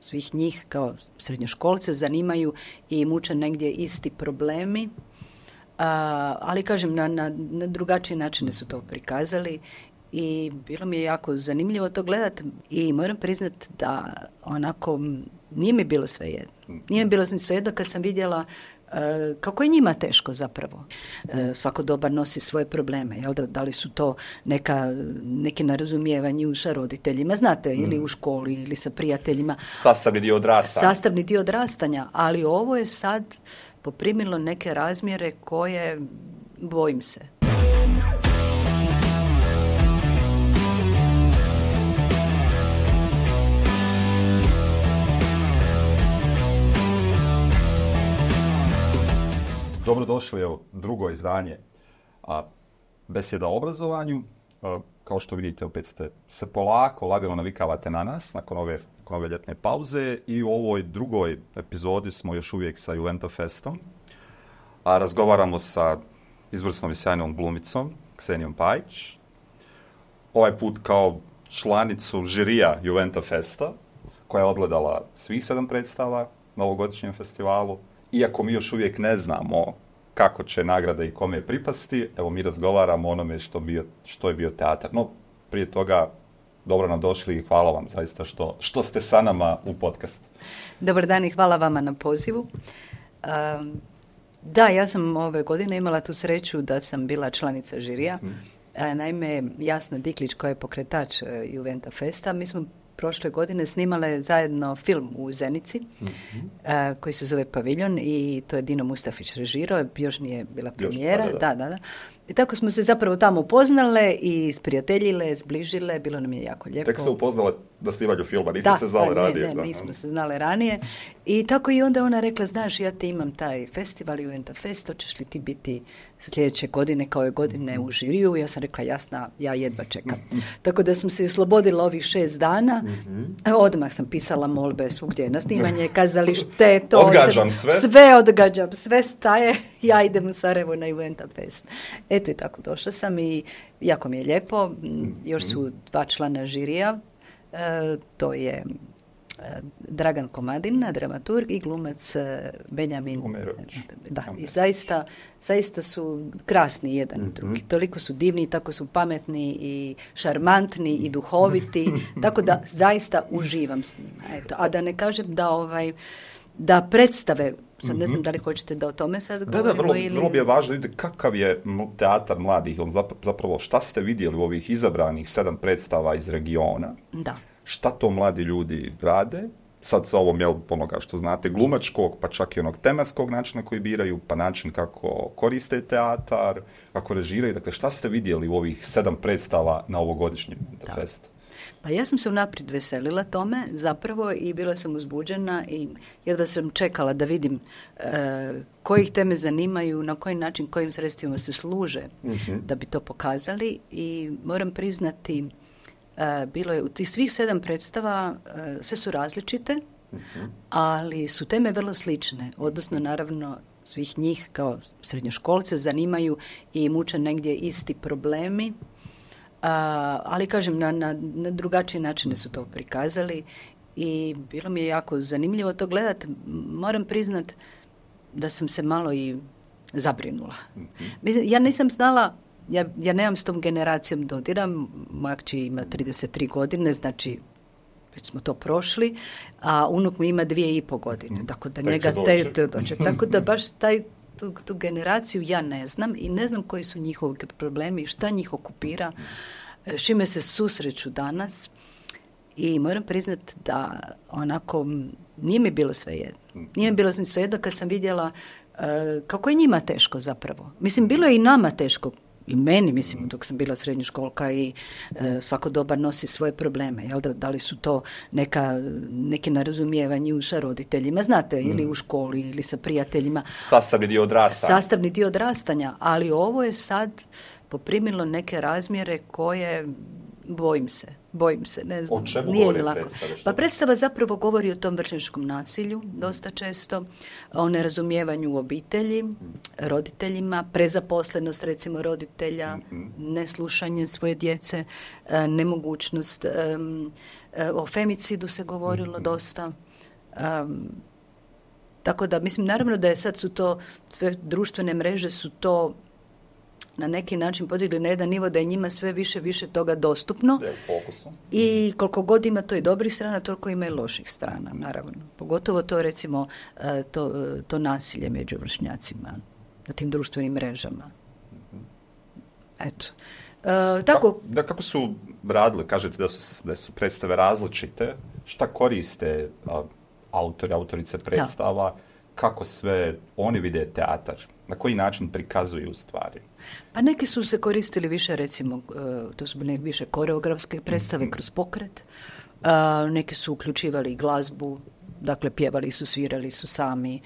svih njih kao srednjoškolce zanimaju i muče negdje isti problemi, ali kažem na drugačije načine su to prikazali i bilo mi je jako zanimljivo to gledati i moram priznati da onako nije mi bilo svejedno. Nije mi bilo svejedno kad sam vidjela kako je njima teško zapravo. Svako doba nosi svoje probleme. Jel? Da li su to neki nerazumijevanje sa roditeljima, znate, ili u školi, ili sa prijateljima. Sastavni dio odrastanja. Ali ovo je sad poprimilo neke razmjere koje bojim se. Dobrodošli, evo, drugo izdanje Besjeda o obrazovanju. Kao što vidite, opet ste se polako, lagano navikavate na nas nakon ove ljetne pauze i u ovoj drugoj epizodi smo još uvijek sa Juventa Festom, a razgovaramo sa izvrsnom i sjajnom glumicom Ksenijom Pajić. Ovaj put kao članicu žirija Juventa Festa, koja je odgledala svih 7 predstava na ovogodišnjem festivalu. Iako mi još uvijek ne znamo kako će nagrada i kome pripasti, evo mi razgovaramo o onome što je bio teatar. No, prije toga, dobro nam došli i hvala vam zaista što ste sa nama u podcastu. Dobar dan i hvala vama na pozivu. Da, ja sam ove godine imala tu sreću da sam bila članica žirija. Naime, Jasna Diklić koja je pokretač Juventa Festa, mi smo prošle godine snimale zajedno film u Zenici, koji se zove Paviljon i to je Dino Mustafić režirao, još nije bila premijera. Da. I tako smo se zapravo tamo upoznale i sprijateljile, zbližile, bilo nam je jako lijepo. Tek se upoznale na snimanju filma, niste se znali ranije. Nismo se znale ranije. I tako i onda ona rekla, znaš, ja ti imam taj festival Juventa Fest, hoćeš li ti biti sljedeće godine kao ove godine u žiriju? Ja sam rekla, jasna, ja jedva čekam. Tako da sam se oslobodila ovih 6 dana. Odmah sam pisala molbe svugdje na snimanje, kazalište, to. Odgađam sve. Sve odgađam, sve staje. Ja idem u Sarajevo na Juventa Fest. Eto i tako došla sam i jako mi je lijepo. Još su 2 člana žirija. To je Dragan Komadina, dramaturg i glumac Benjamin Umerović. Da, i zaista su krasni jedan i drugi. Toliko su divni, tako su pametni i šarmantni i duhoviti, tako da zaista uživam s njima. Eto, a da ne kažem da predstave, sad ne znam da li hoćete da o tome sad govorimo. Da, vrlo bi je važno da vidite kakav je teatar mladih, zapravo šta ste vidjeli u ovih izabranih 7 predstava iz regiona. Da. Šta to mladi ljudi rade, sad sa ovom, onoga što znate, glumačkog, pa čak i onog tematskog načina koji biraju, pa način kako koriste teatar, kako režiraju. Dakle, šta ste vidjeli u ovih 7 predstava na ovogodišnjem festu? Pa ja sam se unaprijed veselila tome zapravo i bila sam uzbuđena i jedva sam čekala da vidim kojih teme zanimaju, na koji način, kojim sredstvima se služe da bi to pokazali i moram priznati bilo je u tih svih 7 predstava, sve su različite, ali su teme vrlo slične, odnosno naravno svih njih kao srednjoškolce zanimaju i muče negdje isti problemi, ali kažem na drugačije načine su to prikazali i bilo mi je jako zanimljivo to gledati. Moram priznati da sam se malo i zabrinula. Ja nisam znala, ja nemam s tom generacijom dodira, moja kći ima 33 godine, znači već smo to prošli, a unuk mi ima 2,5 godine, tako da njega dođe. Tako da baš tu generaciju ja ne znam i ne znam koji su njihovi problemi i šta njih okupira, s čime se susreću danas i moram priznati da onako nije mi bilo svejedno. Nije mi bilo svejedno kad sam vidjela kako je njima teško zapravo. Mislim, bilo je i nama teško, i meni, mislim, dok sam bila srednjoškolka i svako doba nosi svoje probleme. Jel? Da li su to neki nerazumijevanje sa roditeljima, znate, ili u školi, ili sa prijateljima. Sastavni dio odrastanja. Ali ovo je sad poprimilo neke razmjere koje bojim se, ne znam. O čemu nije govori lako. Predstava? Pa predstava zapravo govori o tom vršnjačkom nasilju, dosta često, o nerazumijevanju u obitelji, roditeljima, prezaposlenost recimo roditelja, neslušanje svoje djece, nemogućnost, o femicidu se govorilo dosta. Tako da, mislim, naravno da je sad su to, sve društvene mreže su to na neki način podigli na jedan nivo da je njima sve više toga dostupno. I koliko god ima to i dobrih strana, toliko ima i loših strana, naravno. Pogotovo to, recimo, to nasilje među vršnjacima na tim društvenim mrežama. Eto. Tako. Kako su radili? Kažete da su predstave različite. Šta koriste autorice predstava? Kako sve oni vide teatar? Na koji način prikazuju stvari? Pa neki su se koristili više, recimo, to su bile više koreografske predstave kroz pokret. Neki su uključivali i glazbu, dakle pjevali su, svirali su sami.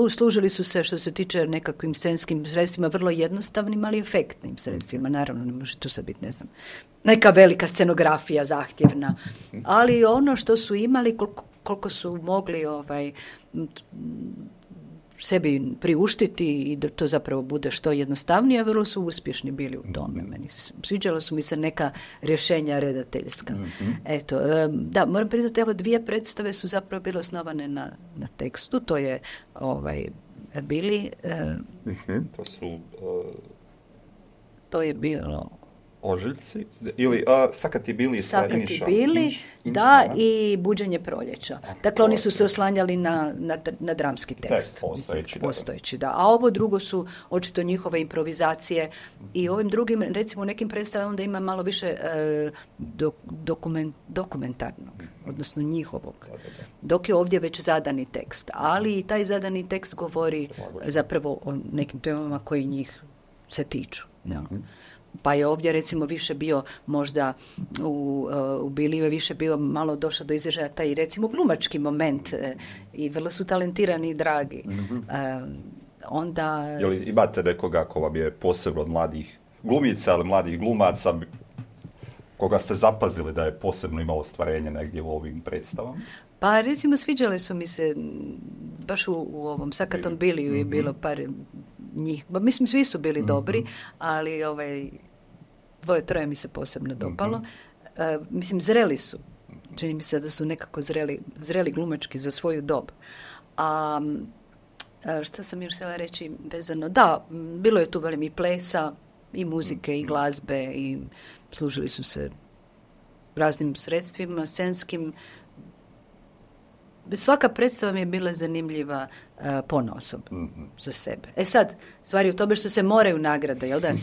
Služili su se, što se tiče nekakvim scenskim sredstvima, vrlo jednostavnim, ali efektnim sredstvima. Naravno, ne može tu sad biti, ne znam, neka velika scenografija zahtjevna. Ali ono što su imali, koliko su mogli sebi priuštiti i da to zapravo bude što jednostavnije, vrlo su uspješni bili u tome. Sviđala su mi se neka rješenja redateljska. Eto, da, moram priznati, evo 2 predstave su zapravo bile osnovane na tekstu. To je bili... To je bilo... Ožiljci, ili Sakati bili sa Iniša. Sakati bili, da, i Buđenje proljeća. Dakle, oni su se oslanjali na dramski tekst. Postojeći, da. A ovo drugo su očito njihove improvizacije i ovim drugim, recimo u nekim predstavama onda ima malo više dokumentarnog, odnosno njihovog. Dok je ovdje već zadani tekst. Ali i taj zadani tekst govori zapravo o nekim temama koji njih se tiču. Ja. Pa je ovdje recimo više bio možda u Biliju je više bio malo došao do izražaja taj recimo glumački moment i vrlo su talentirani i dragi. Onda... Jel imate nekoga ko vam je posebno od mladih glumica, ali mladih glumaca koga ste zapazili da je posebno imao ostvarenje negdje u ovim predstavama? Pa recimo sviđale su mi se baš u ovom Sakatom Biliju je bilo par njih, mislim svi su bili dobri, ali 2-3 mi se posebno dopalo. Mislim, zreli su. Čini mi se da su nekako zreli glumački za svoju dob. A šta sam još htjela reći vezano? Da, bilo je tu velim i plesa, i muzike, i glazbe, i služili su se raznim sredstvima, scenskim. Svaka predstava mi je bila zanimljiva ponaosob za sebe. Sad, stvari u tome što se moraju nagrade, jel da?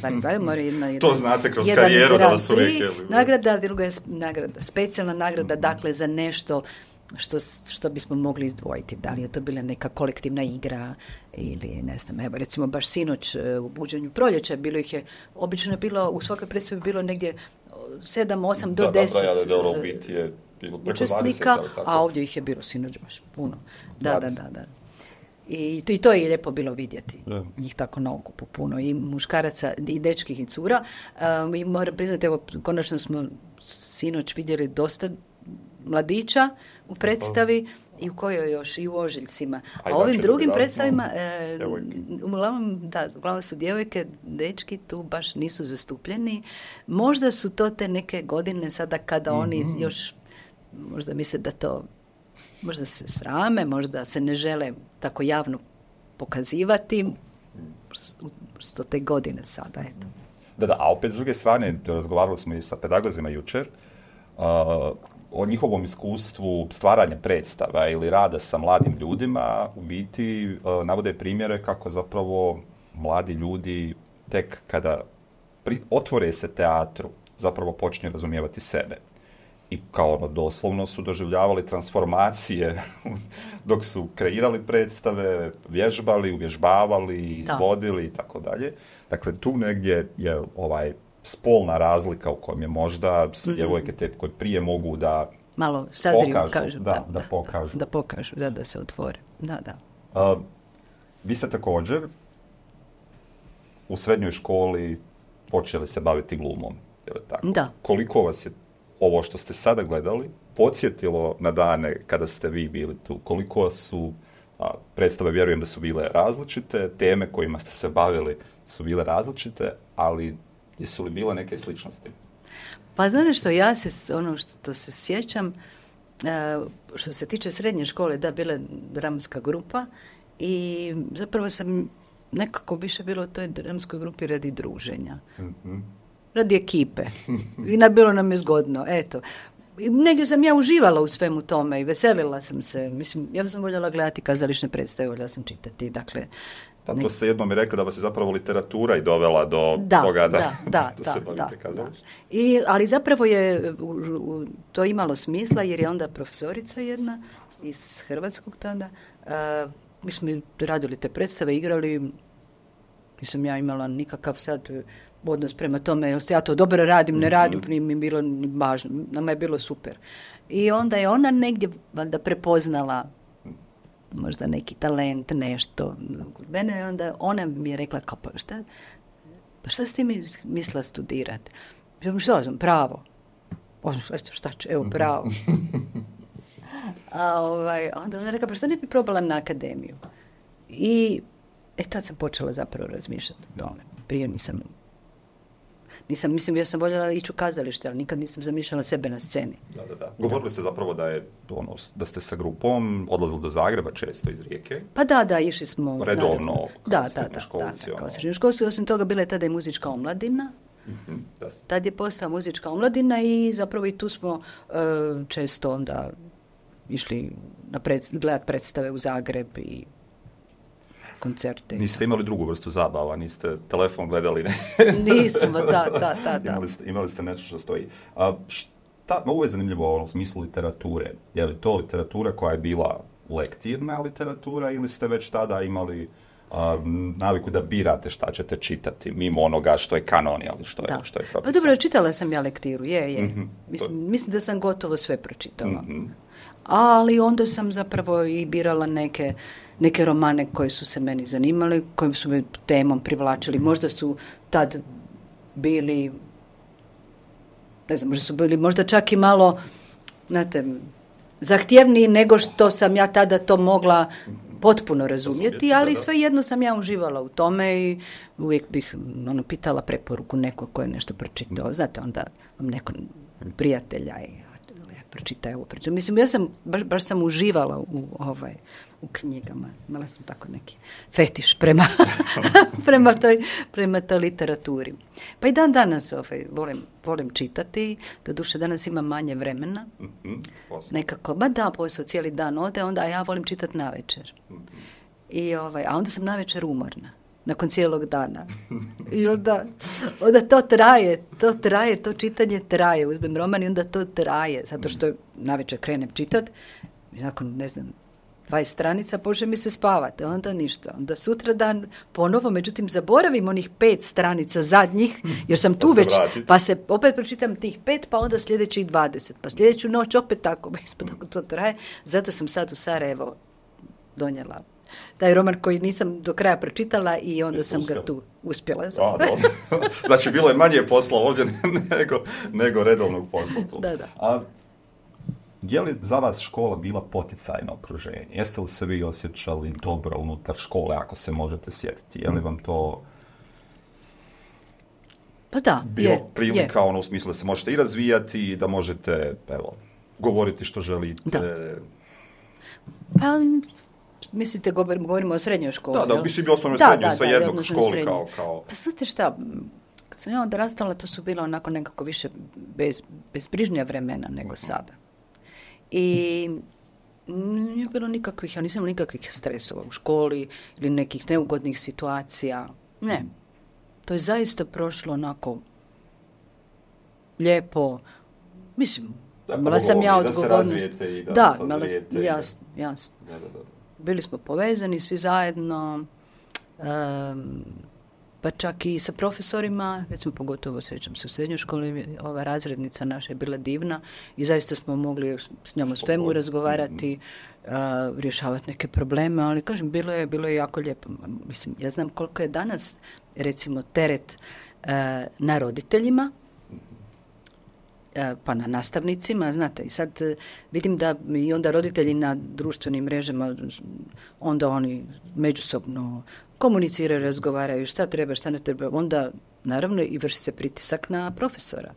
Mora jedna, to znate kroz karijeru da vas uvijek je. Nagrada, druga je nagrada, specijalna nagrada, dakle za nešto što bismo mogli izdvojiti. Da li je to bila neka kolektivna igra ili ne znam, evo recimo baš sinoć u Buđenju proljeća bilo ih je, obično je bilo, u svakoj predstavi bilo negdje 7, 8 do 10 učesnika, a ovdje ih je bilo sinoć baš puno. Da. I to je lijepo bilo vidjeti. Njih tako na okupu puno. I muškaraca, i dečkih, i cura. I moram priznati, evo, konačno smo sinoć vidjeli dosta mladića u predstavi i u kojoj još, i u Ožiljcima. A ovim drugim predstavima, uglavnom su djevojke, dečki tu baš nisu zastupljeni. Možda su to te neke godine sada kada oni još, možda misle da to, možda se srame, možda se ne žele tako javno pokazivati. Sto te godine sada, eto. Da, a opet s druge strane, razgovarali smo i sa pedagozima jučer, o njihovom iskustvu stvaranja predstava ili rada sa mladim ljudima, u biti navode primjere kako zapravo mladi ljudi tek kada otvore se teatru zapravo počinju razumijevati sebe. I kao doslovno su doživljavali transformacije dok su kreirali predstave, vježbali, uvježbavali, izvodili i tako dalje. Dakle, tu negdje je spolna razlika u kojem je možda djevojke te koje prije mogu da malo sazriju, kažu. Da pokažu, da se otvore. Da. Vi ste također u srednjoj školi počeli se baviti glumom. Je li tako? Da. Koliko vas je ovo što ste sada gledali podsjetilo na dane kada ste vi bili tu? Koliko su predstave, vjerujem da su bile različite, teme kojima ste se bavili su bile različite, ali jesu li bile neke sličnosti? Pa znate što, ja se, ono što se sjećam, što se tiče srednje škole, da, bila je dramska grupa i zapravo sam nekako više bilo u toj dramskoj grupi radi druženja. Radi ekipe. I bilo nam je zgodno, eto. I negdje sam ja uživala u svemu tome i veselila sam se. Mislim, ja sam voljela gledati kazališne predstave, voljela sam čitati, dakle... Tako ste jednom mi rekli da vas je zapravo literatura i dovela do toga da se bavite kazalištem. Ali zapravo je to imalo smisla jer je onda profesorica jedna iz Hrvatskog tada, mi smo radili te predstave, igrali, nisam ja imala nikakav sad odnos prema tome, jel se ja to dobro radim, ne radim, nije mi bilo ni važno, nama je bilo super. I onda je ona negdje valjda prepoznala možda neki talent, nešto kod mene, onda ona mi je rekla kao, pa šta ste mi mislila studirati? Što sam, pravo. Šta ću, evo, pravo. Onda ona rekla, pa šta ne bi probala na akademiju? I tad sam počela zapravo razmišljati o tome. Prije nisam, mislim, ja sam voljela ići u kazalište, ali nikad nisam zamišljala sebe na sceni. Da. Govorili ste zapravo da ste sa grupom odlazili do Zagreba često iz Rijeke. Pa da, išli smo... Redovno, kao srednjoškolci. Osim toga, bila je tada i muzička omladina. Tad je postala muzička omladina i zapravo i tu smo često onda išli gledati predstave u Zagreb i koncerte. Niste imali drugu vrstu zabava, niste telefon gledali, ne? Nismo, da. Imali ste nešto što stoji. Ovo je zanimljivo u smislu literature. Je li to literatura koja je bila lektirna literatura ili ste već tada imali naviku da birate šta ćete čitati, mimo onoga što je kanon, ali što je propisano? Pa dobro, čitala sam ja lektiru, je. Mislim da sam gotovo sve pročitala. Ali onda sam zapravo i birala neke romane koje su se meni zanimali, kojim su me temom privlačili. Možda su tad bili, ne znam, možda su bili možda čak i malo, znate, zahtjevniji nego što sam ja tada to mogla potpuno razumjeti, ali svejedno sam ja uživala u tome i uvijek bih pitala preporuku nekog ko je nešto pročitao. Znate, onda vam neko prijatelja i pročitaj ovo priču. Mislim, ja sam, baš sam uživala u knjigama. Imala sam tako neki fetiš prema toj literaturi. Pa i dan danas volim čitati. Doduše, danas imam manje vremena. Nekako, posao cijeli dan ode, onda ja volim čitati navečer. A onda sam navečer umorna. Nakon cijelog dana. I onda to traje, to čitanje traje. Uzmem roman i onda to traje. Zato što navečer krenem čitati, nakon, 20 stranica počne mi se spavati. Onda ništa. Onda sutra dan ponovo, međutim, zaboravim onih 5 stranica zadnjih, jer sam tu već, pa se opet pročitam tih 5, pa onda sljedećih 20. Pa sljedeću noć opet tako. To traje. Zato sam sad u Sarajevo donijela taj roman koji nisam do kraja pročitala i onda sam ga tu uspjela. Znači, bilo je manje posla ovdje nego redovnog posla tu. Da. Je li za vas škola bila poticajno okruženje? Jeste li se vi osjećali dobro unutar škole, ako se možete sjetiti? Je li vam to pa da, bilo prilika u smislu da se možete i razvijati i da možete govoriti što želite? Da. Pa... Mislite, govorimo o srednjoj školi? Da, mislim bi osnovno srednjoj, sve jednog školi kao... Pa znate šta, kad sam ja odrastala, to su bila onako nekako više bezbrižnija vremena nego sada. I nije bilo nikakvih, ja nisam nikakvih stresova u školi ili nekih neugodnih situacija. Ne. To je zaista prošlo onako lijepo. Mislim, imala sam ja odgovornost. Da se razvijete i da sazrijete. Jasno. Bili smo povezani svi zajedno, pa čak i sa profesorima, recimo pogotovo sjećam se u srednjoj školi, ova razrednica naša je bila divna i zaista smo mogli s njom o svemu razgovarati, rješavati neke probleme, ali kažem, bilo je jako lijepo. Mislim, ja znam koliko je danas, recimo, teret na roditeljima, pa na nastavnicima, znate, i sad vidim da i onda roditelji na društvenim mrežama, onda oni međusobno komuniciraju, razgovaraju šta treba, šta ne treba, onda naravno i vrši se pritisak na profesora.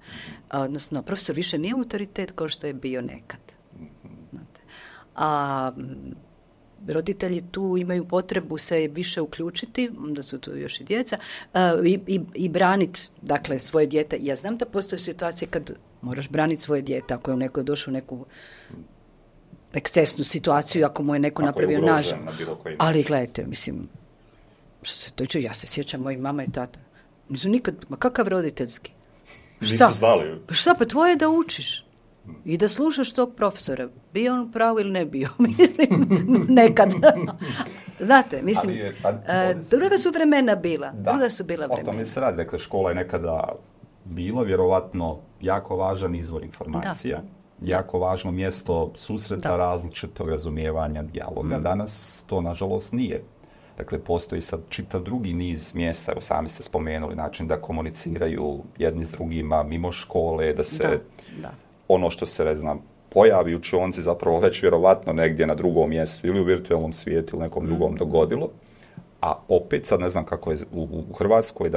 Odnosno, profesor više nije autoritet kao što je bio nekad. a roditelji tu imaju potrebu se više uključiti, onda su tu još i djeca, i braniti, dakle, svoje dijete. Ja znam da postoje situacije kad moraš braniti svoje dijete, ako je neko došao u neku ekscesnu situaciju, ako mu je neko napravio nažal. Ali gledajte, mislim, što se tiče, ja se sjećam, moji mama i tata, nisu nikad, ma kakav roditeljski? Šta? Nisu znali. Šta, pa tvoje je da učiš i da slušaš tog profesora, bio on pravo ili ne bio, mislim, nekad. Znate, mislim, druga su vremena bila, druga su bila vremena. O tome se radi, dakle, škola je nekada bila vjerovatno jako važan izvor informacija, jako važno mjesto susreta, različitog razumijevanja, dijaloga. Danas to, nažalost, nije. Dakle, postoji sad čitav drugi niz mjesta, evo sami ste spomenuli, način da komuniciraju jedni s drugima mimo škole, da se ono što se, ne znam, pojavi u učionici zapravo već vjerovatno negdje na drugom mjestu ili u virtualnom svijetu ili nekom drugom dogodilo. A opet, sad ne znam kako je u Hrvatskoj,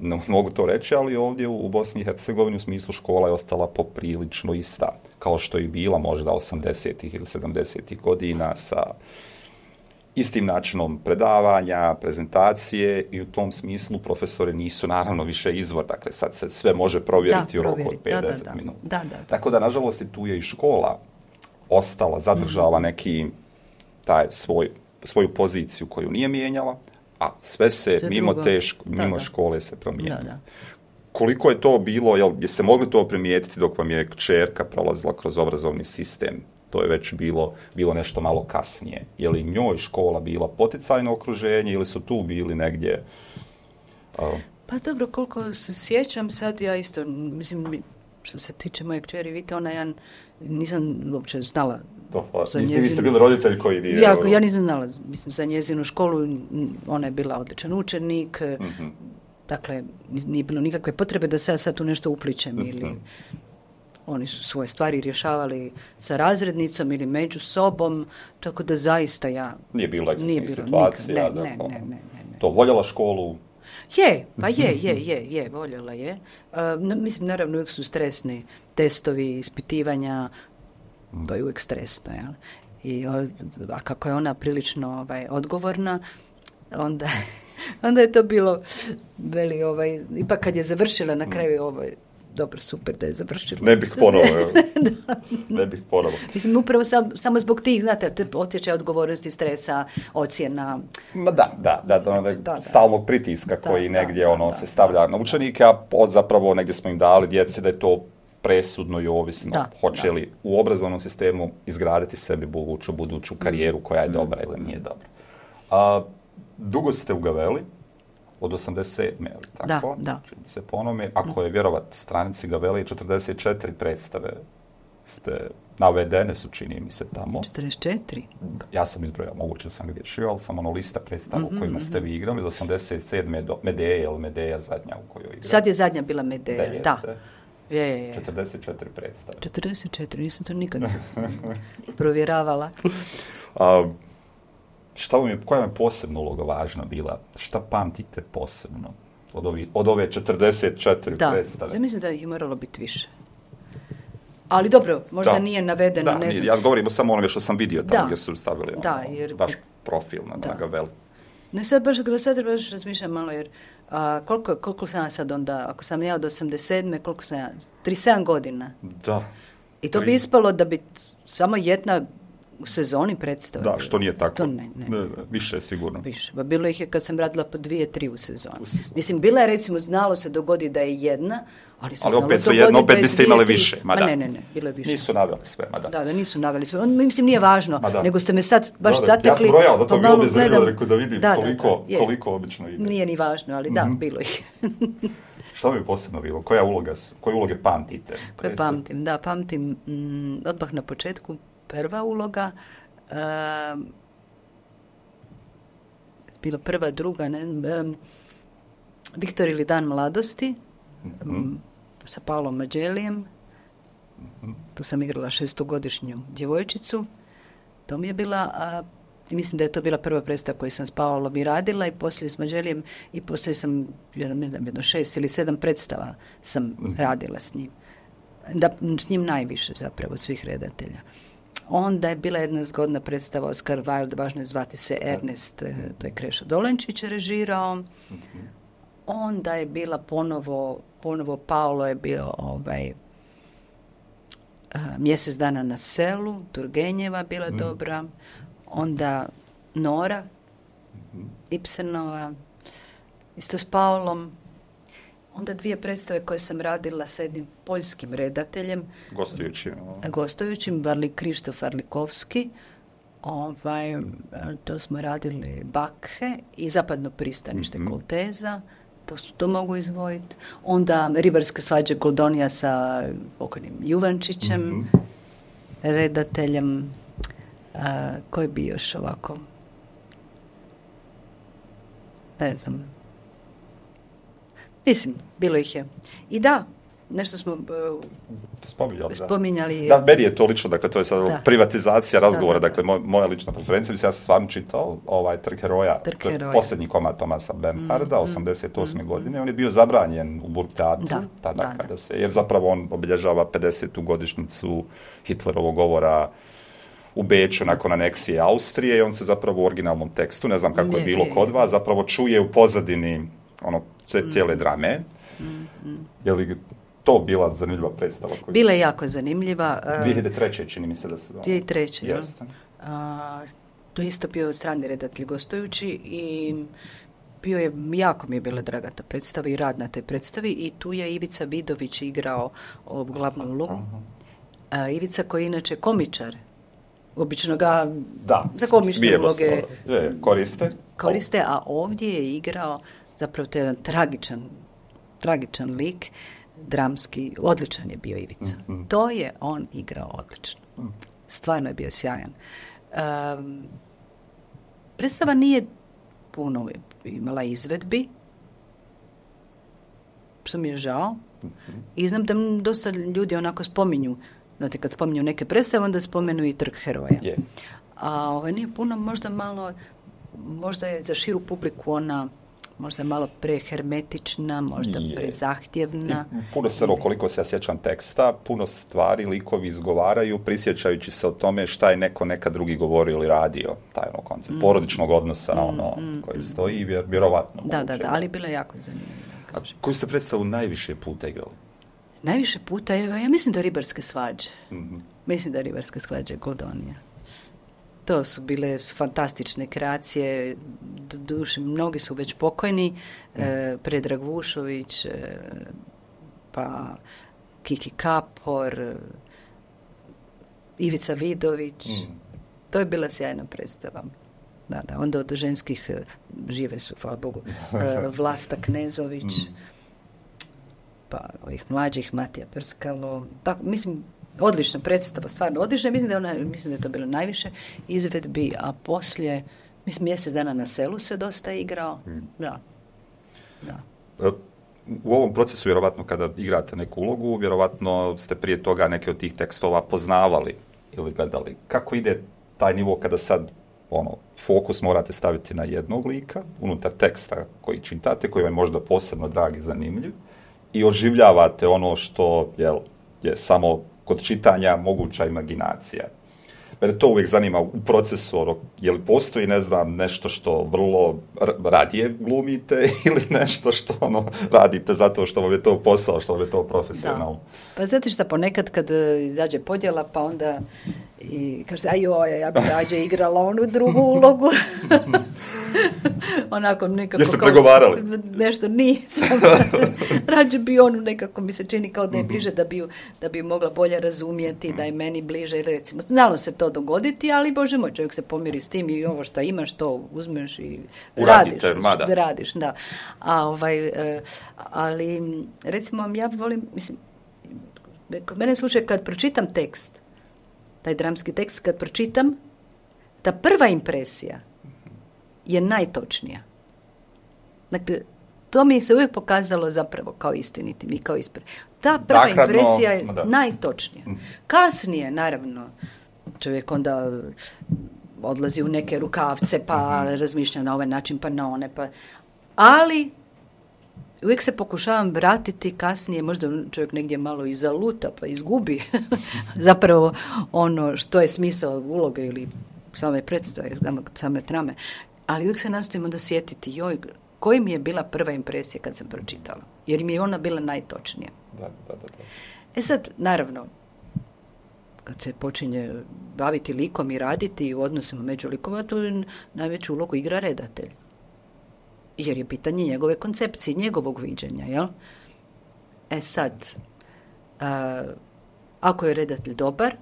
ne mogu to reći, ali ovdje u Bosni i Hercegovini u smislu škola je ostala poprilično ista, kao što je bila možda 80-ih ili 70-ih godina sa istim načinom predavanja, prezentacije i u tom smislu profesori nisu naravno više izvor, dakle sad se sve može provjeriti u roku od 5-10 minuta. Tako da, nažalost, tu je i škola ostala, zadržala neki taj svoju poziciju koju nije mijenjala, a sve se mimo škole se promijenilo. Koliko je to bilo, jeste mogli to primijetiti dok vam je kćerka prolazila kroz obrazovni sistem? To je već bilo nešto malo kasnije. Je li njoj škola bila poticajno okruženje ili su tu bili negdje? Pa dobro, koliko se sjećam sad, ja isto, mislim, što se tiče moje kćeri Vite, ja nisam uopće znala za njezinu... Niste bili roditelj koji nije... Ja nisam znala, mislim, za njezinu školu, ona je bila odličan učenik, dakle, nije bilo nikakve potrebe da se ja sad tu nešto upličem ili... Oni su svoje stvari rješavali sa razrednicom ili među sobom, tako da zaista ja... Nije bilo ekscesnih situacija? Ne. To voljela školu? Je, voljela je. Mislim, naravno, uvijek su stresni testovi, ispitivanja, to je uvijek stresno, jel? A kako je ona prilično odgovorna, onda je to bilo, ipak kad je završila na kraju dobro, super da je završila. Ne bih ponovo. Mislim, upravo samo zbog tih, znate, osjećaja odgovornosti, stresa, ocjena. Ma da, stalnog pritiska koji negdje se stavlja na učenike, a zapravo negdje smo im dali djeci da je to presudno i ovisno. Hoće li u obrazovnom sistemu izgraditi sebi buduću karijeru koja je dobra ili nije dobra. Dugo ste u Gaveli, od 87. tako? Da. Se po onome, ako je vjerovat stranici Gavele, 44 predstave ste navedene su, čini mi se, tamo. 44? Ja sam izbrojao, moguće sam griješio, ali sam lista predstava u kojima ste vi igrali, od 87. do Medeje, ili Medeja zadnja u kojoj igrali. Sad je zadnja bila Medeja, da. Je. 44 predstave. 44, nisam to nikad provjeravala. Koja vam je posebna uloga važna bila? Šta pamtite posebno od ove 44 predstave? Ja mislim da ih je moralo biti više. Ali dobro, možda nije navedeno, ne znam. Ja govorim samo onome što sam vidio tamo gdje su stavili vaš profil na Gaveli. Ne, sad baš razmišljam malo, jer koliko sam ja sad onda, ako sam ja od 87. koliko sam ja? 37 godina. Da. I to bi ispalo da bi samo jedna u sezoni predstava. Da, što nije tako. To ne. Više je sigurno. Više. Ba bilo ih je kad sam radila po 2-3 u sezoni. Mislim, bila je, recimo, znalo se dogodi da je jedna, ali opet svejedno, opet biste imali više. Ne, bilo je više. Nisu naveli sve, Da, nisu naveli sve. Mislim, nije važno, nego ste me sad baš zatekli. Ja sam brojao, zato bi ovdje zanimljivo rekao da vidim koliko obično ide. Nije ni važno, ali bilo ih. Šta bi posebno bilo? Koje uloge pamtite? Koje pamtim? Da, pamtim odmah na početku. Prva uloga, bila prva, druga, Viktor ili Dan mladosti, sa Paolom Mađelijem. Tu sam igrala 6-godišnju djevojčicu. To mi je bila, mislim da je to bila prva predstava koju sam s Paolom i radila, i poslije s Mađelijem, i poslije sam, ne znam, 6 ili 7 predstava sam radila s njim. S njim najviše zapravo svih redatelja. Onda je bila jedna zgodna predstava Oscar Wilde, važno je zvati se Ernest, to je Krešo Dolenčić režirao. Onda je bila ponovo Paolo je bio Mjesec dana na selu, Turgenjeva bila dobra. Onda Nora, Ibsenova, isto s Paolom. Onda 2 predstave koje sam radila sa jednim poljskim redateljem. Gostujućim, Krištof Arlikovski. To smo radili Bakhe i Zapadno pristanište Kolteza. To mogu izvojiti. Onda Ribarske svađe Goldonija sa pokojnim Juvančićem, redateljem. Koji bi još ovako? Ne znam. Mislim, bilo ih je. I da, nešto smo spominjali. Da, meni je to lično, dakle, to je sad privatizacija razgovora, dakle, moja lična preferencija. Mislim, ja sam stvarno čitao Trg heroja, posljednji komad Tomasa Bernharda, 88. godine. On je bio zabranjen u Burgtheatru, jer zapravo on obilježava 50. godišnjicu Hitlerovog govora u Beču nakon aneksije Austrije i on se zapravo u originalnom tekstu, ne znam kako je bilo kod vas, zapravo čuje u pozadini cijele drame. Je li to bila zanimljiva predstava? Bila je jako zanimljiva. 2003. čini mi se da se zove. 2003. Jeste. To isto bio strani redatelj gostujući i jako mi je bila draga ta predstava i rad na toj predstavi i tu je Ivica Vidović igrao glavnu ulogu. Ivica koji je inače komičar. Obično ga za komične uloge koriste, a ovdje je igrao zapravo to je jedan tragičan lik, dramski, odličan je bio Ivica. To je on igrao odlično. Stvarno je bio sjajan. Predstava nije puno imala izvedbi, što mi je žao. I znam da dosta ljudi onako spominju, znate, kad spominju neke predstave, onda spomenu i Trg heroja. A nije puno, možda je za širu publiku ona možda malo prehermetična, možda prezahtjevna. Puno se, koliko se ja sjećam teksta, puno stvari likovi izgovaraju, prisjećajući se o tome šta je neko nekad drugi govorio ili radio, taj koncept porodičnog odnosa, koji stoji, vjerovatno. Da, ali bila je jako zanimljiva. Koju ste predstavu najviše puta igrali? Najviše puta, ja mislim da Ribarske svađe. Mislim da Ribarske svađe Goldonija. To su bile fantastične kreacije, duše, mnogi su već pokojni, Predrag Vušović, pa Kiki Kapor, Ivica Vidović, to je bila sjajna predstava. Da, onda od ženskih žive su, hvala Bogu, Vlasta Knezović, pa ovih mlađih Matija Prskalo, tako, mislim, odlična predstava, stvarno odlična. Mislim da je to bilo najviše izvedbi, a poslije, mislim, Mjesec dana na selu se dosta igrao. Da. U ovom procesu, vjerovatno, kada igrate neku ulogu, vjerovatno ste prije toga neke od tih tekstova poznavali ili gledali. Kako ide taj nivo kada sad fokus morate staviti na jednog lika unutar teksta koji čitate, koji vam je možda posebno drag i zanimljiv i oživljavate ono što je samo kod čitanja moguća imaginacija. Mene to uvijek zanima u procesu, je li postoji, ne znam, nešto što vrlo radije glumite ili nešto što radite zato što vam je to posao, što vam je to profesionalno? Da. Pa znate šta, ponekad kad izađe podjela, pa onda i kažete, ja bih rađe igrala onu drugu ulogu. Onako nekako... Jeste pregovarali? Nešto nisam. Rađe bi onu nekako mi se čini kao da je bliže, da bi mogla bolje razumijeti, da je meni bliže. Recimo, znalo se to dogoditi, ali Bože moj, čovjek se pomiri s tim i ovo što imaš, to uzmeš i radiš. Da. Ali, recimo, ja volim, mislim, kod mene slučaj kad pročitam tekst, taj dramski tekst, kad pročitam, ta prva impresija je najtočnija. Dakle, to mi se uvijek pokazalo zapravo kao istinitim i kao ta prva impresija je najtočnija. Kasnije, naravno, čovjek onda odlazi u neke rukavce, pa razmišlja na ovaj način, pa na one, ali uvijek se pokušavam vratiti kasnije, možda čovjek negdje malo i zaluta pa izgubi zapravo ono što je smisao uloge ili same predstave, same trame, ali uvijek se nastojim onda sjetiti, joj, koji mi je bila prva impresija kad sam pročitala, jer mi je ona bila najtočnija. Da. E sad, naravno, kad se počinje baviti likom i raditi u odnosima među likova, to najveću ulogu igra redatelj. Jer je pitanje njegove koncepcije, njegovog viđenja, jel? E sad, ako je redatelj dobar,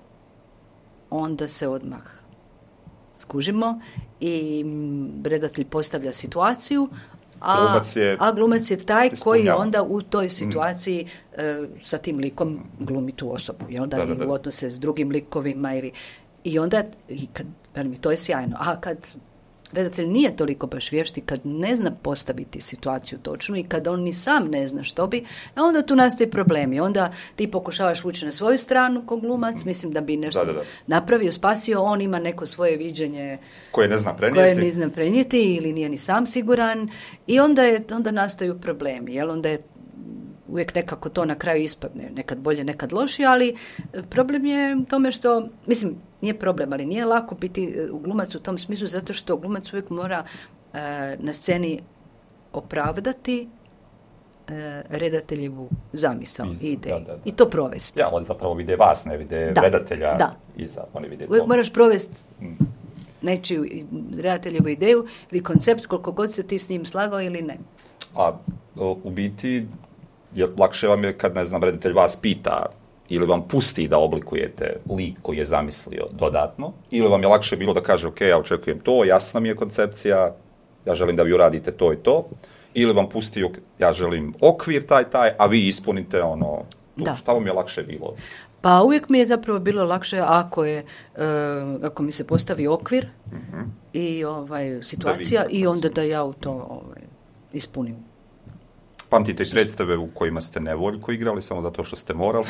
onda se odmah skužimo i redatelj postavlja situaciju, a glumac je taj koji onda u toj situaciji sa tim likom glumi tu osobu. Jel? Da. U odnose s drugim likovima. I onda, to je sjajno. A kad redatelj nije toliko baš vješt i kad ne zna postaviti situaciju točnu i kad on ni sam ne zna što bi, onda tu nastaju problemi. Onda ti pokušavaš ući na svoju stranu ko glumac, mislim da bi nešto napravio, spasio, on ima neko svoje viđenje koje ne zna prenijeti ili nije ni sam siguran i onda nastaju problemi. Jel? Onda je uvijek nekako to na kraju ispadne, nekad bolje, nekad lošije, ali problem je u tome što, mislim, nije problem, ali nije lako biti glumac u tom smislu, zato što glumac uvijek mora na sceni opravdati redateljevu zamisao i ideju. I to provesti. Ja, on zapravo vide vas, ne vide redatelja iza, oni vide uvijek moraš provesti nečiju redateljevu ideju ili koncept, koliko god se ti s njim slagao ili ne. A u biti, lakše vam je kad, ne znam, redatelj vas pita ili vam pusti da oblikujete lik koji je zamislio dodatno, ili vam je lakše bilo da kaže, ok, ja očekujem to, jasna mi je koncepcija, ja želim da vi uradite to i to, ili vam pusti, ja želim okvir taj, a vi ispunite ono, šta vam je lakše bilo? Pa uvijek mi je zapravo bilo lakše ako mi se postavi okvir i situacija i onda da ja u to ispunim. Pamtite predstave u kojima ste nevoljko igrali samo zato što ste morali?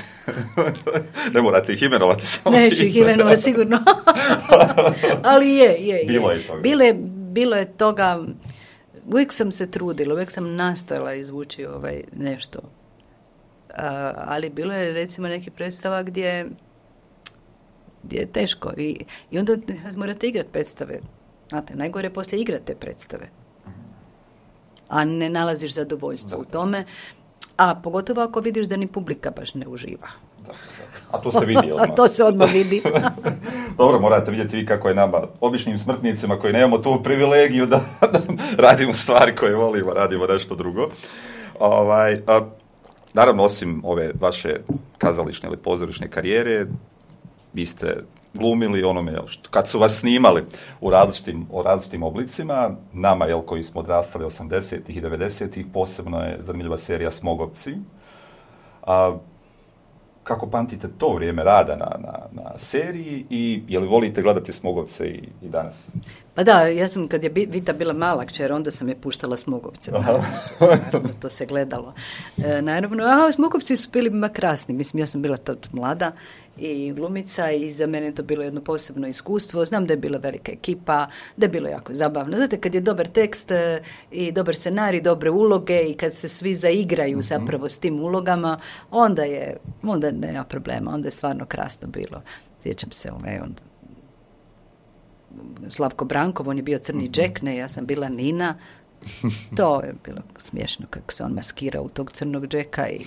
Ne morate ih imenovati. Neću ih imenovati sigurno. Ali je. Bilo je toga. Bilo je toga. Uvijek sam se trudila, uvijek sam nastojala izvući nešto. Ali bilo je recimo neki predstava gdje je teško. I onda morate igrati predstave. Znate, najgore je poslije igrate predstave. A ne nalaziš zadovoljstvo u tome, a pogotovo ako vidiš da ni publika baš ne uživa. A to se vidi odmah. A to se odmah vidi. Dobro, morate vidjeti vi kako je nama, običnim smrtnicima koji nemamo tu privilegiju da radimo stvari koje volimo, radimo nešto drugo. Naravno, osim ove vaše kazališne ili pozorišne karijere, vi ste glumili onome, kad su vas snimali u različitim oblicima, nama, koji smo odrastali 80-ih i 90-ih, posebno je zanimljiva serija Smogovci. Kako pamtite to vrijeme rada na seriji i je li volite gledati Smogovce i danas? Pa da, ja sam kad je Vita bila mala kćer, onda sam je puštala Smogovce. Naravno, to se gledalo. Naravno, Smogovci su bili krasni. Mislim, ja sam bila tad mlada i glumica i za mene je to bilo jedno posebno iskustvo. Znam da je bila velika ekipa, da je bilo jako zabavno. Znate, kad je dobar tekst i dobar scenarij, dobre uloge i kad se svi zaigraju zapravo s tim ulogama, onda nema problema, onda je stvarno krasno bilo. Sjećam se, Slavko Brankov, on je bio crni Jack, ja sam bila Nina. To je bilo smiješno kako se on maskirao u tog crnog Jacka i...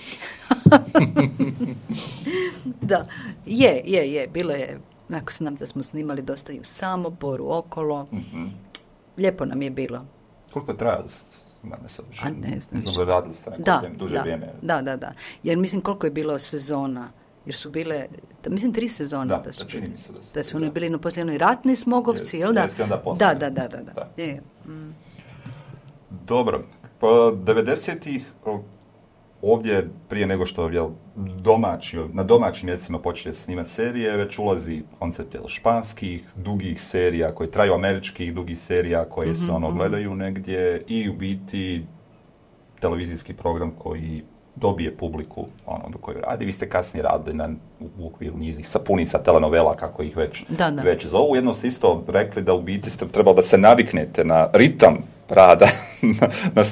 Da, je, bilo je, ako znam da smo snimali dosta i u Samoboru, okolo. Lijepo nam je bilo. Koliko je trajalo? Ne znam. Radili ste neko duže vrijeme. Da. Jer mislim koliko je bilo sezona. Jer su bile, mislim 3 sezone. Da, čini mi se da su oni bili poslije onoj ratni Smogovci, jel da? Da. Dobro, po 90-ih ovdje prije nego što na domaćim mjesecima počne snimati serije, već ulazi koncept španskih, dugih serija koje traju, američkih dugih serija koje se gledaju negdje i u biti televizijski program koji dobije publiku do koje radi. Vi ste kasnije radili u okviru njizih sapunica, telenovela, kako ih već zovu. Jedno ste isto rekli da u biti ste trebali da se naviknete na ritam rada na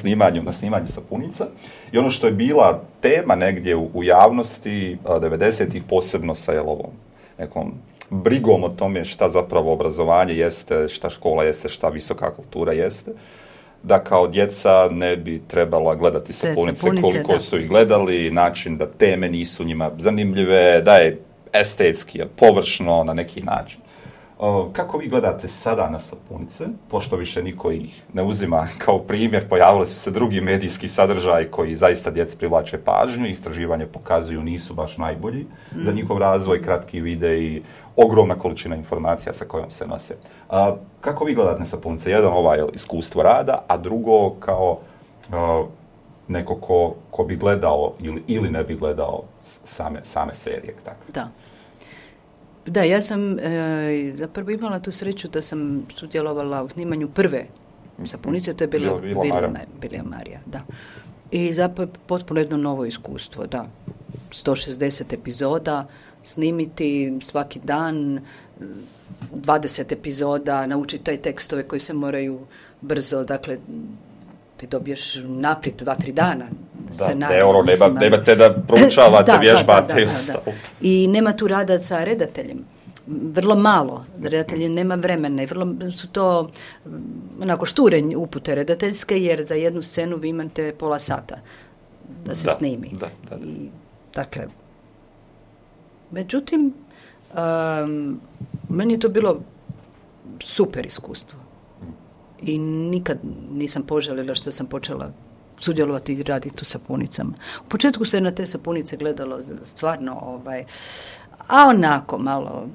snimanju sapunica. I ono što je bila tema negdje u javnosti 90-ih, posebno sa ovom nekom brigom o tome šta zapravo obrazovanje jeste, šta škola jeste, šta visoka kultura jeste, da kao djeca ne bi trebala gledati sapunice koliko da su ih gledali, način da teme nisu njima zanimljive, da je estetski, površno na neki način. Kako vi gledate sada na sapunice, pošto više niko ih ne uzima kao primjer, pojavili su se drugi medijski sadržaji koji zaista djeci privlače pažnju, istraživanje pokazuju nisu baš najbolji za njihov razvoj, kratki videi, ogromna količina informacija sa kojom se nose. Kako vi gledate na sapunice? Jedan iskustvo rada, a drugo kao neko ko bi gledao ili ne bi gledao same serije. Tako. Da, ja sam zapravo imala tu sreću da sam sudjelovala u snimanju prve sapunice, to je bila Vila Marija, da. I zapravo potpuno jedno novo iskustvo, da. 160 epizoda, snimiti svaki dan, 20 epizoda, naučiti taj tekstove koji se moraju brzo, dakle, ti dobiješ naprijed 2-3 dana. Nemate da proučavate, vježbate i ostalo. I nema tu rada sa redateljem. Vrlo malo. Redatelji nema vremena i vrlo su to onako šture upute redateljske, jer za jednu scenu vi imate pola sata da se snimi. I, dakle, međutim, meni je to bilo super iskustvo. I nikad nisam požalila što sam počela sudjelovati i raditi u sapunicama. U početku se na te sapunice gledalo stvarno, a onako malo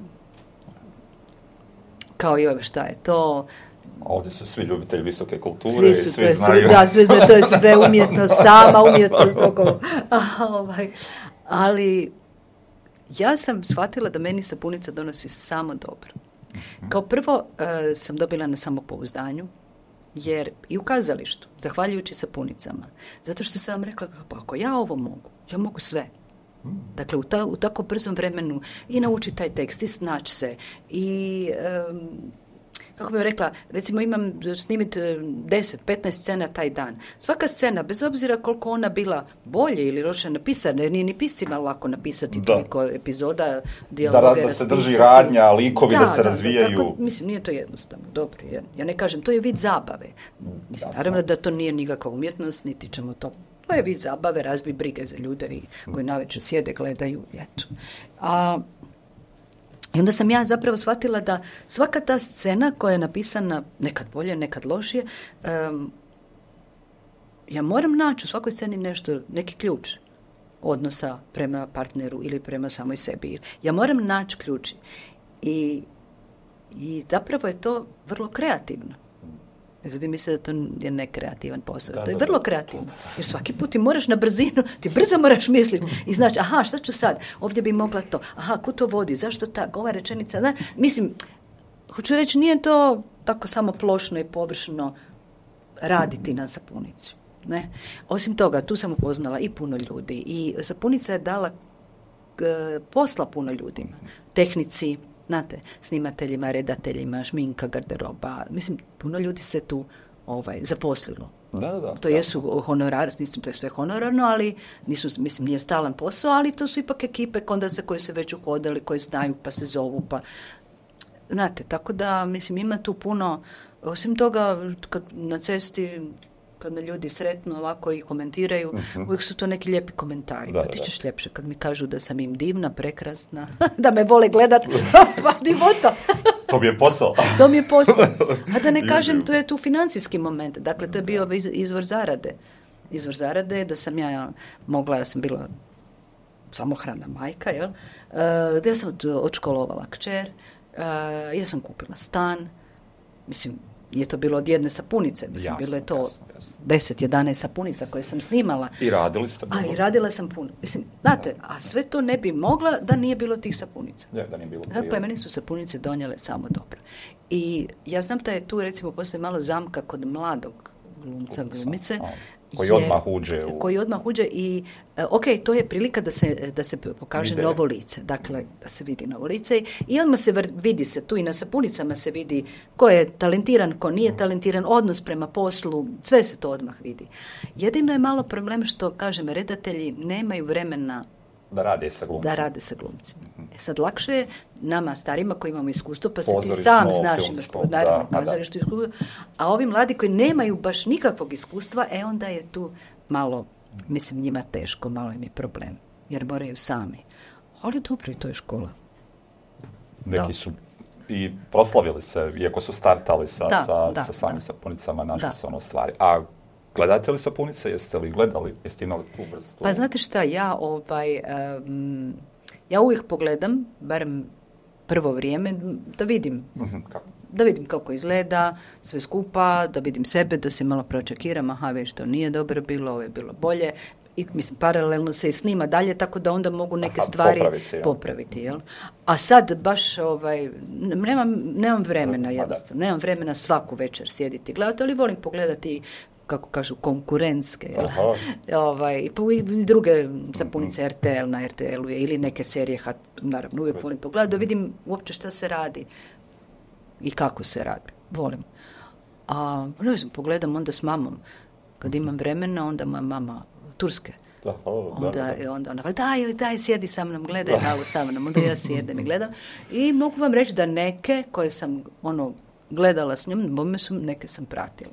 kao i šta je to. Ovdje su svi ljubitelji visoke kulture i svi znaju. Svi znaju, to je sve umjetnost, sama umjetnost. Ali ja sam shvatila da meni sapunica donosi samo dobro. Kao prvo sam dobila na samopouzdanju, jer i u kazalištu, zahvaljujući sapunicama, zato što sam vam rekla, pa ako ja ovo mogu, ja mogu sve. Dakle, u tako brzom vremenu i naučiti taj tekst, i snaći se, i kako bih rekla, recimo imam snimiti 10-15 scena taj dan. Svaka scena, bez obzira koliko ona bila bolje ili loše napisana, jer nije ni piscima lako napisati toliko epizoda, dijaloge da se drži radnja, likovi da se razvijaju. Tako, mislim, nije to jednostavno, dobro. Ja ne kažem, to je vid zabave. Mislim, naravno da to nije nikakva umjetnost, niti ćemo to. To je vid zabave, razbi brige za ljude koji navečer sjede, gledaju, eto. I onda sam ja zapravo shvatila da svaka ta scena koja je napisana, nekad bolje, nekad lošije, ja moram naći u svakoj sceni neki ključ odnosa prema partneru ili prema samoj sebi. Ja moram naći ključ. I zapravo je to vrlo kreativno. Ljudi misle da to je nekreativan posao. To je vrlo kreativno. Jer svaki put ti moraš na brzinu, ti brzo moraš misliti i znači, aha, šta ću sad? Ovdje bi mogla to. Aha, kud to vodi? Zašto tako? Ova rečenica, da? Mislim, hoću reći, nije to tako samo plošno i površno raditi na sapunici. Ne? Osim toga, tu sam upoznala i puno ljudi. I sapunica je dala posla puno ljudima. Tehnici, znate, snimateljima, redateljima, šminka, garderoba. Mislim, puno ljudi se tu zaposlilo. To jesu honorari, mislim, to je sve honorarno, ali nije stalan posao, ali to su ipak ekipe koje se već uhodali, koje znaju, pa se zovu, pa znate, tako da, mislim, ima tu puno, osim toga, kad na cesti, kad me ljudi sretno ovako i komentiraju, uvijek su to neki lijepi komentari. Pa ti ćeš ljepše kad mi kažu da sam im divna, prekrasna, da me vole gledat, pa divota. To mi je posao. To mi je posao. A da ne kažem, to je tu financijski moment. Dakle, to je bio izvor zarade. Izvor zarade je da sam ja sam bila samohrana majka, jel? Da ja sam odškolovala kćer, ja sam kupila stan, mislim, je to bilo od jedne sapunice, mislim, bilo je to 10-11 sapunica koje sam snimala. I radili ste puno. I radila sam puno. Mislim, znate, a sve to ne bi mogla da nije bilo tih sapunica. Da nije bilo. Dakle, meni su sapunice donijele samo dobro. I ja znam da je tu, recimo, postoji malo zamka kod mladog glumca, glumice, Koji odmah uđe Koji odmah uđe i, ok, to je prilika da se pokaže novo lice, dakle, da se vidi novo lice i odmah se vidi se tu i na sapunicama se vidi ko je talentiran, ko nije talentiran, odnos prema poslu, sve se to odmah vidi. Jedino je malo problem što, kažem, redatelji nemaju vremena da rade sa glumcima. Sad lakše je nama starima koji imamo iskustvo, pa se ti sam znaš, naravno, kazalištu iskustvo, a ovi mladi koji nemaju baš nikakvog iskustva, onda je tu malo, mislim, njima teško, malo im je problem, jer moraju sami. Ali dobro, i to je škola. Neki su i proslavili se, iako su startali sa samim sapunicama, našli su stvari. A gledate li sapunice? Jeste li gledali? Jeste imali tu vrstu? Pa znate šta, ja uvijek pogledam, barem prvo vrijeme, da vidim. Da vidim kako izgleda, sve skupa, da vidim sebe, da se malo pročekiram, već to nije dobro bilo, ovo je bilo bolje. I, mislim, paralelno se i snima dalje, tako da onda mogu neke stvari popraviti. Jel? A sad baš, nemam vremena jednostavno, nemam vremena svaku večer sjediti i gledati, ali volim pogledati, kako kažu, konkurentske, i druge sapunice RTL na RTL-u ili neke serije, naravno uvijek volim pogledati, da vidim uopće šta se radi i kako se radi, volim. A pogledam onda s mamom, kad imam vremena, onda moja mama Turske. Onda ona daj, sjedi sa mnom, gledaj malo sa mnom, onda ja sjedem i gledam. I mogu vam reći da neke koje sam gledala s njom, neke sam pratila.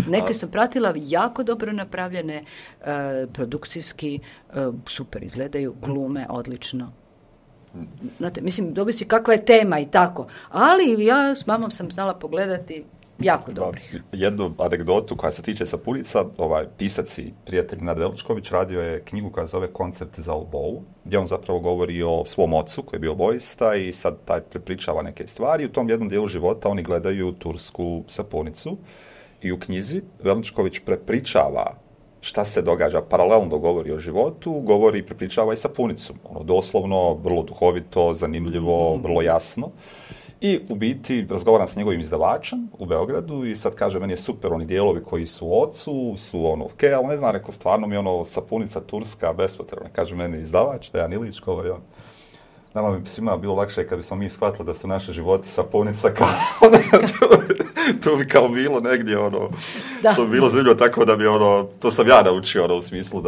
Neke sam pratila, jako dobro napravljene, produkcijski, super izgledaju, glume, odlično. Znate, mislim, ovisi kakva je tema i tako. Ali ja s mamom sam znala pogledati jako dobrih. Jednu anegdotu koja se tiče sapunica, pisac i prijatelj Nad Veličković radio je knjigu koja zove Koncept za obovu, gdje on zapravo govori o svom ocu koji je bio vojista i sad taj prepričava neke stvari. U tom jednom dijelu života oni gledaju tursku sapunicu i u knjizi Veličković prepričava šta se događa, paralelno govori o životu, govori i prepričava i sapunicu. Doslovno, vrlo duhovito, zanimljivo, vrlo jasno. I u biti razgovaram s njegovim izdavačem u Beogradu i sad kaže, meni je super oni dijelovi koji su u ocu, su ok, ali ne znam, rekao, stvarno mi je sapunica turska bespotrebna. Kaže meni izdavač, Dejan Ilić, govori on. Nama bi svima bilo lakše kad bismo mi shvatili da su naše životi sapunica kao to bi kao bilo negdje što bi bilo zanimljivo, tako da bi to sam ja naučio u smislu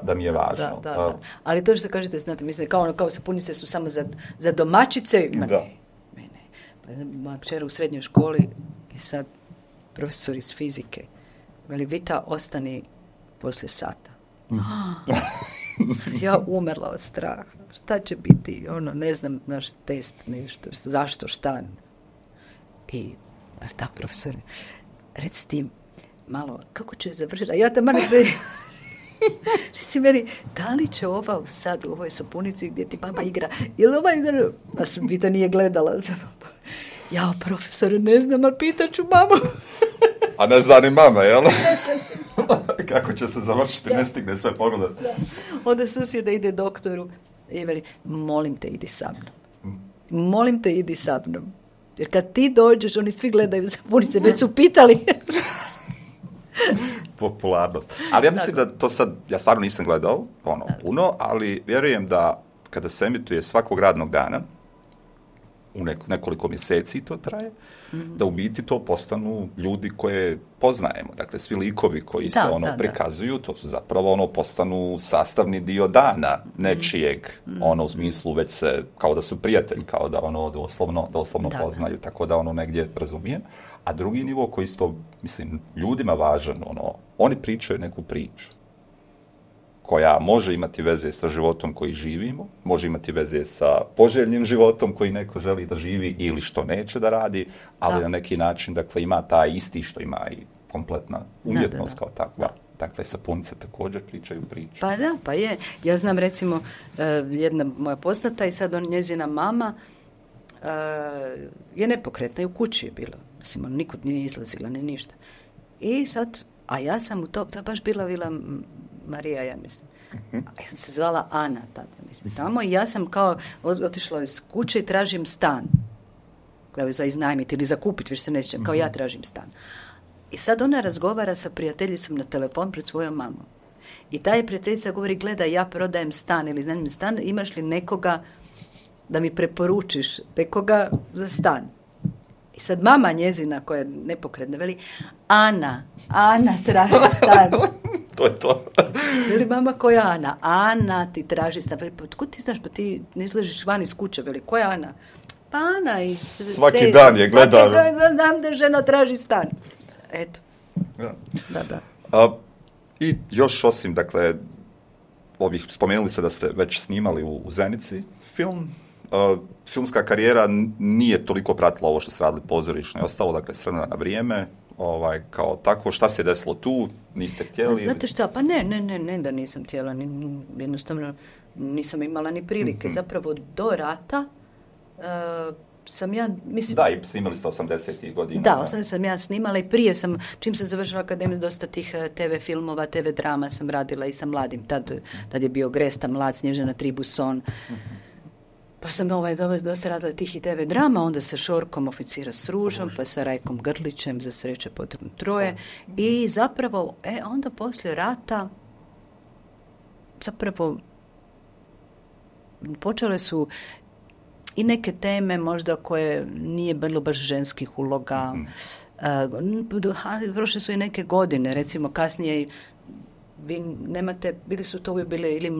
da mi je važno. Da. Ali to što kažete, znate, mislim, kao sapunice su samo za domaćice. Moja kćer u srednjoj školi i sad profesor iz fizike. Veli, Vita, ostani poslije sata. Ja umrla od straha. Šta će biti? Ne znam, naš test, nešto. Zašto, šta? I, da, profesore, reci ti malo, kako će završiti? A ja tamo reci meni, da li će ova sad u ovoj sapunici gdje ti mama igra? Jel ova igra? A Vita nije gledala. Ja, profesore, ne znam, ali pitaću mamu. A ne zna ni mama, jel? Kako će se završiti, ne stigne sve pogledati. Da. Onda susjeda ide doktoru i veli, molim te, idi sa mnom. Molim te, idi sa mnom. Jer kad ti dođeš, oni svi gledaju sapunice, već su pitali. Popularnost. Ali ja mislim da to sad, ja stvarno nisam gledao puno, ali vjerujem da kada se emituje svakog radnog dana, u nekoliko mjeseci to traje, da u biti to postanu ljudi koje poznajemo. Dakle, svi likovi koji se prikazuju, to su zapravo postanu sastavni dio dana nečijeg, u smislu već se, kao da su prijatelji, kao da doslovno poznaju, tako da negdje razumijem. A drugi nivo koji isto, mislim, ljudima važan, oni pričaju neku priču koja može imati veze sa životom koji živimo, može imati veze sa poželjnim životom koji neko želi da živi ili što neće da radi, ali na neki način, dakle, ima taj isti što ima i kompletna umjetnost kao takva. Dakle, sapunice također pričaju priču. Pa da, pa je. Ja znam, recimo, jedna moja poznata i sad njezina mama je nepokretna i u kući je bila. Mislim, nikud nije izlazila, ni ništa. I sad, a ja sam u to baš bila Marija, ja mislim. Ja sam se zvala Ana tada, mislim, tamo i ja sam kao otišla iz kuće i tražim stan. Kao za iznajmiti ili za kupiti, više se ne sjećam, kao ja tražim stan. I sad ona razgovara sa prijateljicom na telefon pred svojom mamom. I ta je prijateljica govori, gledaj, ja prodajem stan ili znam stan, imaš li nekoga da mi preporučiš, nekoga za stan? I sad mama njezina, koja je nepokretna, veli, Ana traži stan. To je to. Veli mama, koja Ana? Ana ti traži stan. Veli, pa otkud ti znaš, pa ti ne izlažiš van iz kuće. Veli, koja Ana? Pa Ana iz... Svaki dan je gledala. Svaki dan znam da žena traži stan. Eto. Da. I još osim, dakle, spomenuli ste da ste već snimali u Zenici film. Filmska karijera nije toliko pratila ovo što ste radili pozorišno i ostalo, dakle, s vremena na vrijeme, kao tako, šta se je desilo tu, niste htjeli? Znate šta, pa ne da nisam htjela, jednostavno nisam imala ni prilike, zapravo do rata sam ja, mislim... Da, i snimali ste 80-ih godina. Da, 80 sam ja snimala i prije sam, čim sam završila akademiju, dosta tih TV filmova, TV drama sam radila i sa mladim, tad je bio Gresta, Mlad, Snježana Tribuson. Pa sam dosta radila tih i TV drama, onda sa Šorkom Oficira s ružom, pa sa Rajkom Grlićem, Za sreće potrebno troje. I zapravo, onda poslije rata, zapravo, počele su i neke teme možda koje nije bilo baš ženskih uloga. Prošle su i neke godine, recimo kasnije, vi nemate, bili su to uvijek bile ili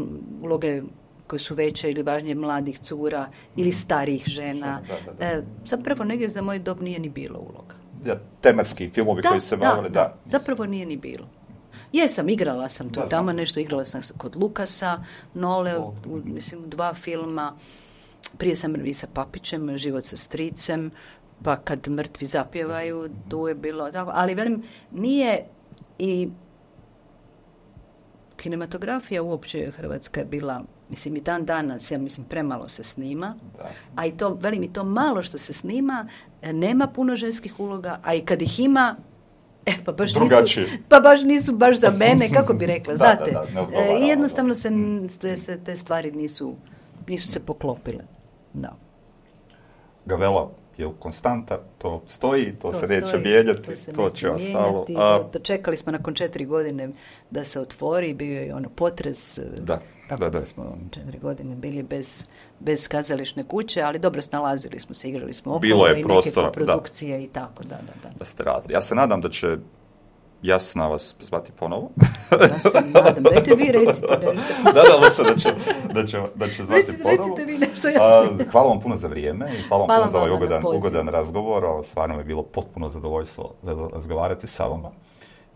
uloge koje su veće ili važnije mladih cura ili starijih žena. Da. Zapravo negdje za moj dob nije ni bilo uloga. Ja, tematski filmovi koji se bavili, da. Zapravo nije ni bilo. Igrala sam tu tamo nešto, igrala sam kod Lukasa, Nole, mislim, 2 filma. Prije sam i sa Papićem, Život sa stricem, pa Kad mrtvi zapjevaju, tu je bilo tako. Ali velim, nije i kinematografija uopće Hrvatska je bila, mislim, i dan danas, ja mislim, premalo se snima, a i to, velim, i to malo što se snima, nema puno ženskih uloga, a i kad ih ima, pa baš nisu baš za mene, kako bi rekla, znate. I jednostavno se te stvari nisu se poklopile. Da. Gavella je konstanta, to stoji, to se neće mijenjati, to će ostalo. Čekali smo nakon 4 godine da se otvori, bio je potres, tako da smo 4 godine bili bez kazališne kuće, ali dobro snalazili smo se, igrali smo okolo i neke produkcije i tako, da ste radili. Ja se nadam da će Jasna vas zvati ponovo. Ja se nadam. Dajte vi recite nešto. Nadamo se da će zvati ponovo. Recite vi nešto Jasno. Hvala vam puno za vrijeme i hvala vam puno za ovaj ugodan razgovor. Stvarno je bilo potpuno zadovoljstvo razgovarati sa vama.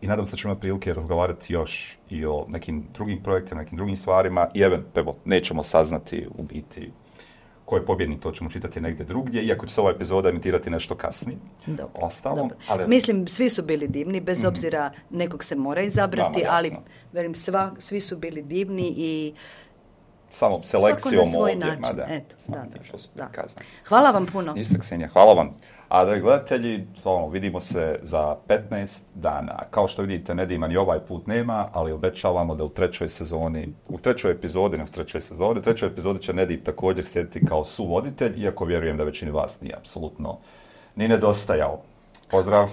I nadam se da ćemo imati prilike razgovarati još i o nekim drugim projektima, nekim drugim stvarima. I evo, nećemo saznati u biti ko je pobjednik, to ćemo čitati negdje drugdje, iako će se ova epizoda emitirati nešto kasnije. Dobro. Mislim, svi su bili divni, bez obzira nekog se mora izabrati, ali velim, svi su bili divni i samo selekcijom ovdje. Hvala vam puno. Isto, Ksenija, hvala vam. A dragi gledatelji, vidimo se za 15 dana. Kao što vidite, Nedima ni ovaj put nema, ali obećavamo da u trećoj epizodi će Nedim također sjediti kao suvoditelj, iako vjerujem da većini vas nije apsolutno ni nedostajao. Pozdrav!